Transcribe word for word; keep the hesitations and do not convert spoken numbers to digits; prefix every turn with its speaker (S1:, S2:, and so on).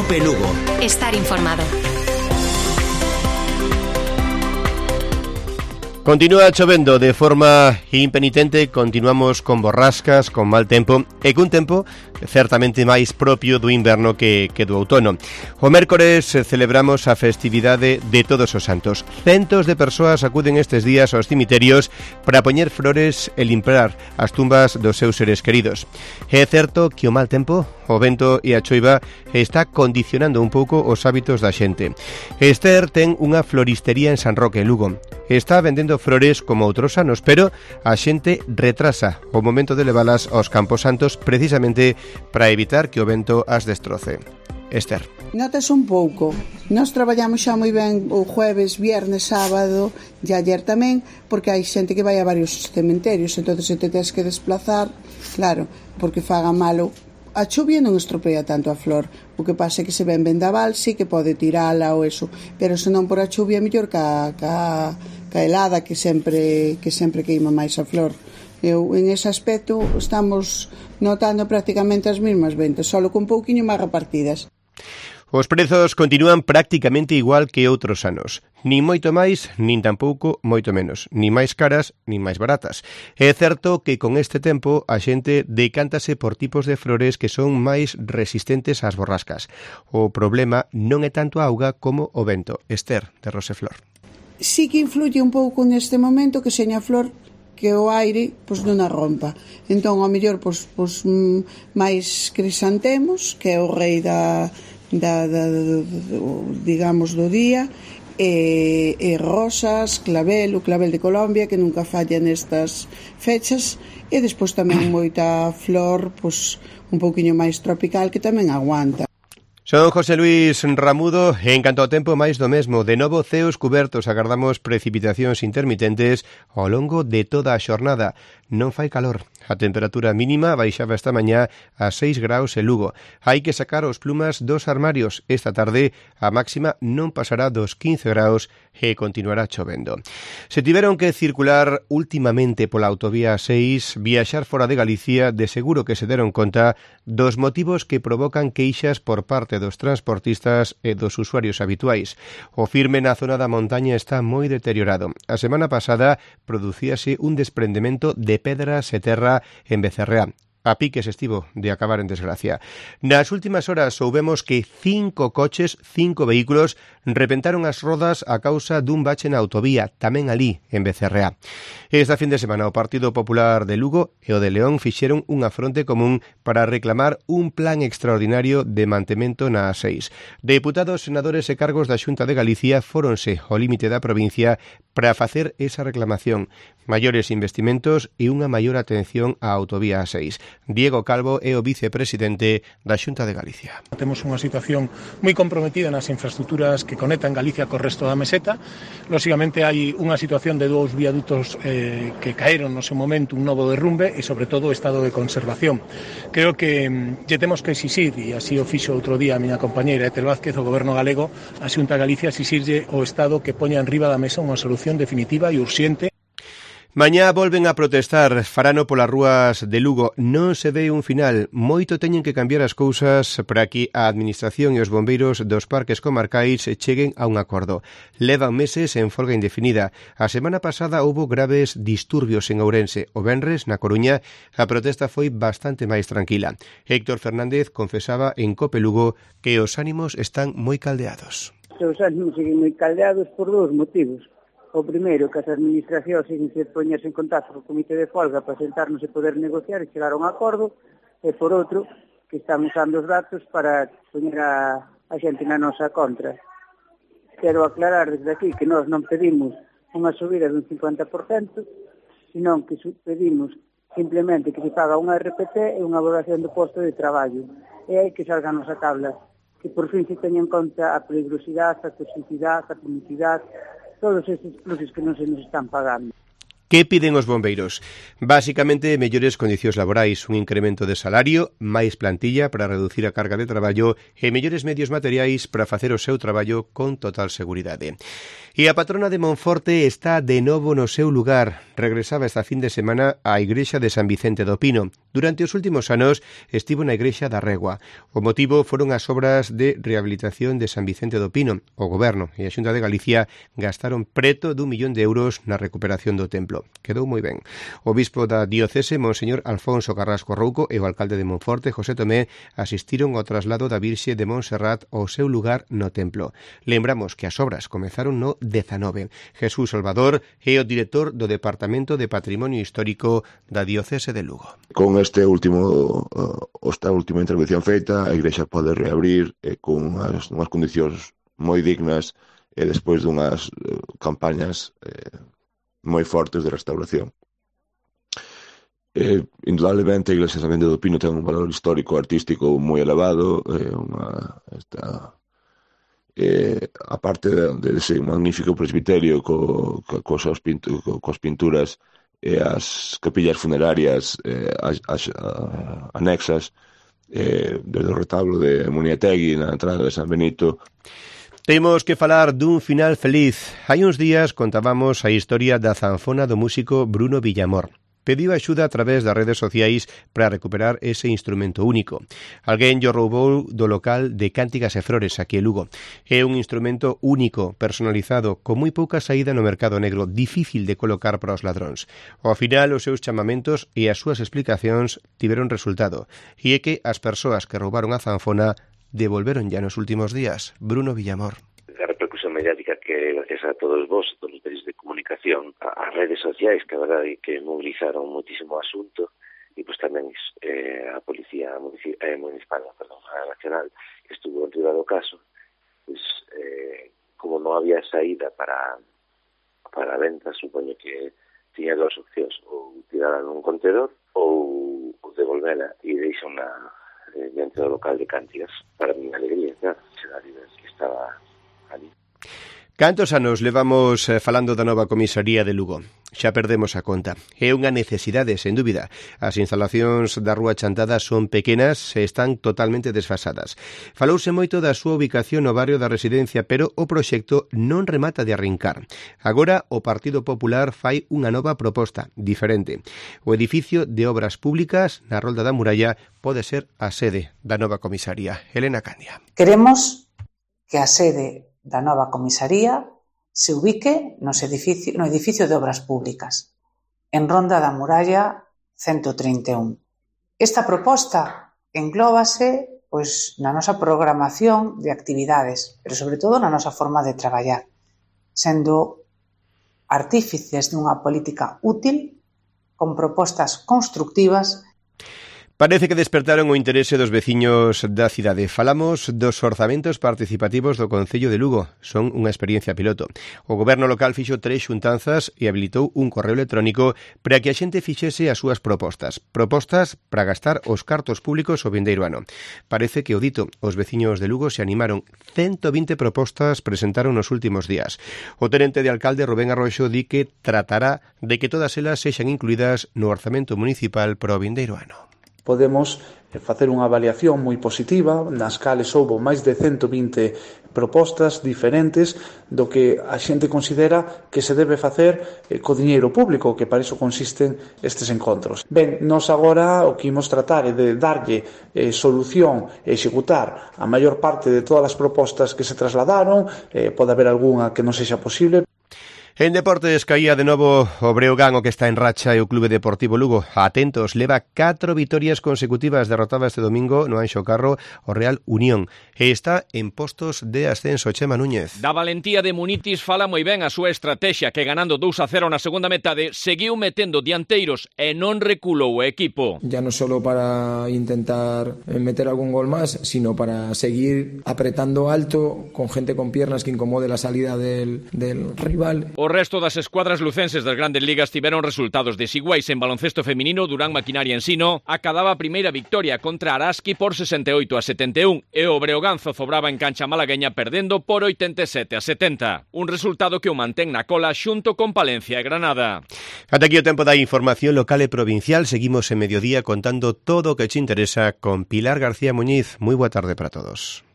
S1: Cope Lugo.
S2: Estar informado.
S3: Continúa chovendo de forma impenitente, continuamos con borrascas, con mal tempo e cun tempo certamente máis propio do inverno que, que do outono. O mércores celebramos a festividade de Todos os Santos. Centos de persoas acuden estes días aos cimiterios para poñer flores e limpar as tumbas dos seus seres queridos. É certo que o mal tempo, o vento e a choiva está condicionando un pouco os hábitos da xente. Esther ten unha floristería en San Roque, Lugo. Está vendendo flores como outros anos, pero a xente retrasa o momento de levalas aos Campos Santos precisamente para evitar que o vento as destroce. Esther.
S4: Notas un pouco. Nós traballamos xa moi ben o jueves, viernes, sábado e ayer tamén, porque hai xente que vai a varios cementerios, entón se te tens que desplazar, claro, porque faga malo. A chuvia non estropea tanto a flor, o que pasa é que se ven vendaval, sí que pode tirala ou eso, pero se non por a chuvia mellor ca, ca, ca helada que sempre que sempre queima máis a flor. Eu, en ese aspecto estamos notando prácticamente as mesmas ventas, só con pouquiño máis repartidas.
S3: Os prezos continúan prácticamente igual que outros anos. Nin moito máis, nin tampouco moito menos. Nin máis caras, nin máis baratas. É certo que con este tempo a xente decántase por tipos de flores que son máis resistentes ás borrascas. O problema non é tanto a auga como o vento. Esther, de Roseflor.
S4: Sí que influye un pouco neste momento que seña flor que o aire pois non a rompa. Entón, ao mellor, pois, pois máis crisantemos, que é o rei da... Da, da, da, digamos do día e, e rosas, clavel, o clavel de Colombia que nunca falla nestas fechas e despois tamén moita flor pois, un pouquiño máis tropical que tamén aguanta.
S3: Son José Luis Ramudo, en canto ao tempo máis do mesmo, de novo ceos cubertos, agardamos precipitacións intermitentes ao longo de toda a xornada. Non fai calor. A temperatura mínima baixaba esta mañá a seis graus en Lugo. Hai que sacar os plumas dos armarios. Esta tarde a máxima non pasará dos quince graus e continuará chovendo. Se tiveron que circular últimamente pola autovía seis, viaxar fora de Galicia, de seguro que se deron conta dos motivos que provocan queixas por parte dos transportistas e dos usuarios habituais. O firme na zona da montaña está moi deteriorado. A semana pasada producíase un desprendemento de pedras e terra en Becerreá. A piques estivo de acabar en desgracia. Nas últimas horas soubemos que cinco coches, cinco vehículos, repentaron as rodas a causa dun bache na autovía, tamén alí, en Becerreá. Esta fin de semana o Partido Popular de Lugo e o de León fixeron unha fronte común para reclamar un plan extraordinario de mantemento na A seis. Deputados, senadores e cargos da Xunta de Galicia fóronse ao límite da provincia para facer esa reclamación, maiores investimentos e unha maior atención á autovía A seis. Diego Calvo é o vicepresidente da Xunta de Galicia.
S5: Temos unha situación moi comprometida nas infraestructuras que conectan Galicia co resto da meseta. Lóxicamente hai unha situación de dous viadutos eh, que caeron no seu momento, un novo derrumbe e sobre todo o estado de conservación. Creo que lle temos que exixir, e así o fixo outro día a miña compañeira Etel Vázquez, o Goberno galego, a Xunta de Galicia exixirlle ao Estado que poña en riba da mesa unha solución definitiva e urxente.
S3: Mañá volven a protestar, farano polas rúas de Lugo. Non se ve un final. Moito teñen que cambiar as cousas para que a Administración e os bombeiros dos parques comarcais cheguen a un acordo. Levan meses en folga indefinida. A semana pasada houbo graves disturbios en Ourense. O venres, na Coruña, a protesta foi bastante máis tranquila. Héctor Fernández confesaba en Cope Lugo que os ánimos están moi caldeados.
S6: Os ánimos siguen moi caldeados por dous motivos. O primeiro, que as administracións siguen se poñerse en contacto co comité de folga para sentarnos e poder negociar e chegar a un acordo, e por outro, que están usando os datos para poñer a, a xente na nosa contra. Quero aclarar desde aquí que nós non pedimos unha subida dun cincuenta por cento, senón que pedimos simplemente que se paga unha R P T e unha valoración do posto de traballo. E hai que salga a nosa tabla, que por fin se teña en conta a peligrosidade, a toxicidade, a punicidade, todos estes pluses que non se nos están pagando.
S3: Que piden os bombeiros? Básicamente, mellores condicións laborais, un incremento de salario, máis plantilla para reducir a carga de traballo e mellores medios materiais para facer o seu traballo con total seguridade. E a patrona de Monforte está de novo no seu lugar. Regresaba esta fin de semana á igrexa de San Vicente do Pino. Durante os últimos anos estivo na igrexa da Regua. O motivo foron as obras de rehabilitación de San Vicente do Pino. O Goberno e a Xunta de Galicia gastaron preto dun millón de euros na recuperación do templo. Quedou moi ben. O bispo da diocese, Monseñor Alfonso Carrasco Rouco, e o alcalde de Monforte, José Tomé, asistiron ao traslado da Virxe de Montserrat ao seu lugar no templo. Lembramos que as obras comezaron no dezanove. Jesús Salvador é o director do Departamento de Patrimonio Histórico da diocese de Lugo.
S1: Con este último esta última intervención feita, a igrexa pode reabrir eh, con unhas, unhas condicións moi dignas e despois dunhas eh, campañas eh, moi fortes de restauración. Eh, indudablemente a iglesia de San Vicente do Pino ten un valor histórico artístico moi elevado, eh, unha, esta, eh, aparte de, de ese magnífico presbiterio co, co, co, pintu, co, cos pinturas e as capillas funerarias eh, as, as, a, anexas, eh, desde o retablo de Muniategui na entrada de San Benito.
S3: Temos que falar dun final feliz. Hai uns días contábamos a historia da zanfona do músico Bruno Villamor. Pediu axuda a través das redes sociais para recuperar ese instrumento único. Alguén lle roubou do local de Cántigas e Flores, aquí en Lugo. É un instrumento único, personalizado, con moi pouca saída no mercado negro, difícil de colocar para os ladróns. Ao final, os seus chamamentos e as súas explicacións tiveron resultado. E é que as persoas que roubaron a zanfona devolveron ya nos últimos días. Bruno Villamor.
S2: A repercusión mediática que, gracias a todos vos, todos os medios de comunicación, as redes sociais, que a verdade que movilizaron muitísimo o asunto, e pois tamén eh, a Policía Municipal, eh, municipal perdón, a Nacional, que estuvo dentro do caso, pois, eh, como non había saída para para a venta, supoño que tiña dúas opcións, ou tirala nun contenedor, ou, ou devolvela e deixona eh, dentro do local de Cántigas. Para mi alegría, claro, será que estaba ali.
S3: Cantos anos levamos eh, falando da nova comisaría de Lugo? Xa perdemos a conta. É unha necesidade, sen dúbida. As instalacións da Rúa Chantada son pequenas e están totalmente desfasadas. Falouse moito da súa ubicación no barrio da Residencia, pero o proxecto non remata de arrincar. Agora o Partido Popular fai unha nova proposta, diferente. O edificio de obras públicas na Rolda da Muralla pode ser a sede da nova comisaría. Elena Candia.
S7: Queremos que a sede da nova comisaría se ubique nos edificio, no edificio de obras públicas, en Ronda da Muralla ciento treinta e un. Esta proposta englóbase pois, na nosa programación de actividades, pero sobre todo na nosa forma de traballar, sendo artífices dunha política útil, con propostas constructivas.
S3: Parece que despertaron o interese dos veciños da cidade. Falamos dos orzamentos participativos do Concello de Lugo. Son unha experiencia piloto. O goberno local fixo tres xuntanzas e habilitou un correo electrónico para que a xente fixese as súas propostas. Propostas para gastar os cartos públicos o vindeiro ano. Parece que o dito, os veciños de Lugo se animaron. ciento vinte propostas presentaron nos últimos días. O tenente de alcalde Rubén Arroxo di que tratará de que todas elas sexan incluídas no orzamento municipal para o vindeiro ano.
S8: Podemos facer unha avaliación moi positiva, nas cales houbo máis de ciento vinte propostas diferentes do que a xente considera que se debe facer co diñeiro público, que para iso consisten estes encontros. Ben, nós agora o que imos tratar é de darlle eh, solución e executar a maior parte de todas as propostas que se trasladaron, eh, pode haber algunha que non sexa posible.
S3: En deportes caía de novo o Breogán, o que está en racha, e o Clube Deportivo Lugo. Atentos, leva catro vitorias consecutivas, derrotaba este domingo no Anxo Carro o Real Unión e está en postos de ascenso. Chema Núñez.
S9: Da valentía de Munitis fala moi ben a súa estrategia, que ganando dous a cero na segunda metade seguiu metendo dianteiros e non reculou o equipo.
S10: Ya non solo para intentar meter algún gol máis, sino para seguir apretando alto con gente con piernas que incomode la salida del, del rival.
S9: O resto das escuadras lucenses das grandes ligas tiveron resultados desiguais. En baloncesto feminino, Durán Maquinaria Ensino acadaba a primeira victoria contra Araski por sesenta e oito a setenta e un e o Breogán zozobraba en cancha malagueña perdendo por oitenta e sete a setenta. Un resultado que o mantén na cola xunto con Palencia e Granada.
S3: Ata aquí o tempo da información local e provincial. Seguimos en mediodía contando todo o que te interesa con Pilar García Muñiz. Moi boa tarde para todos.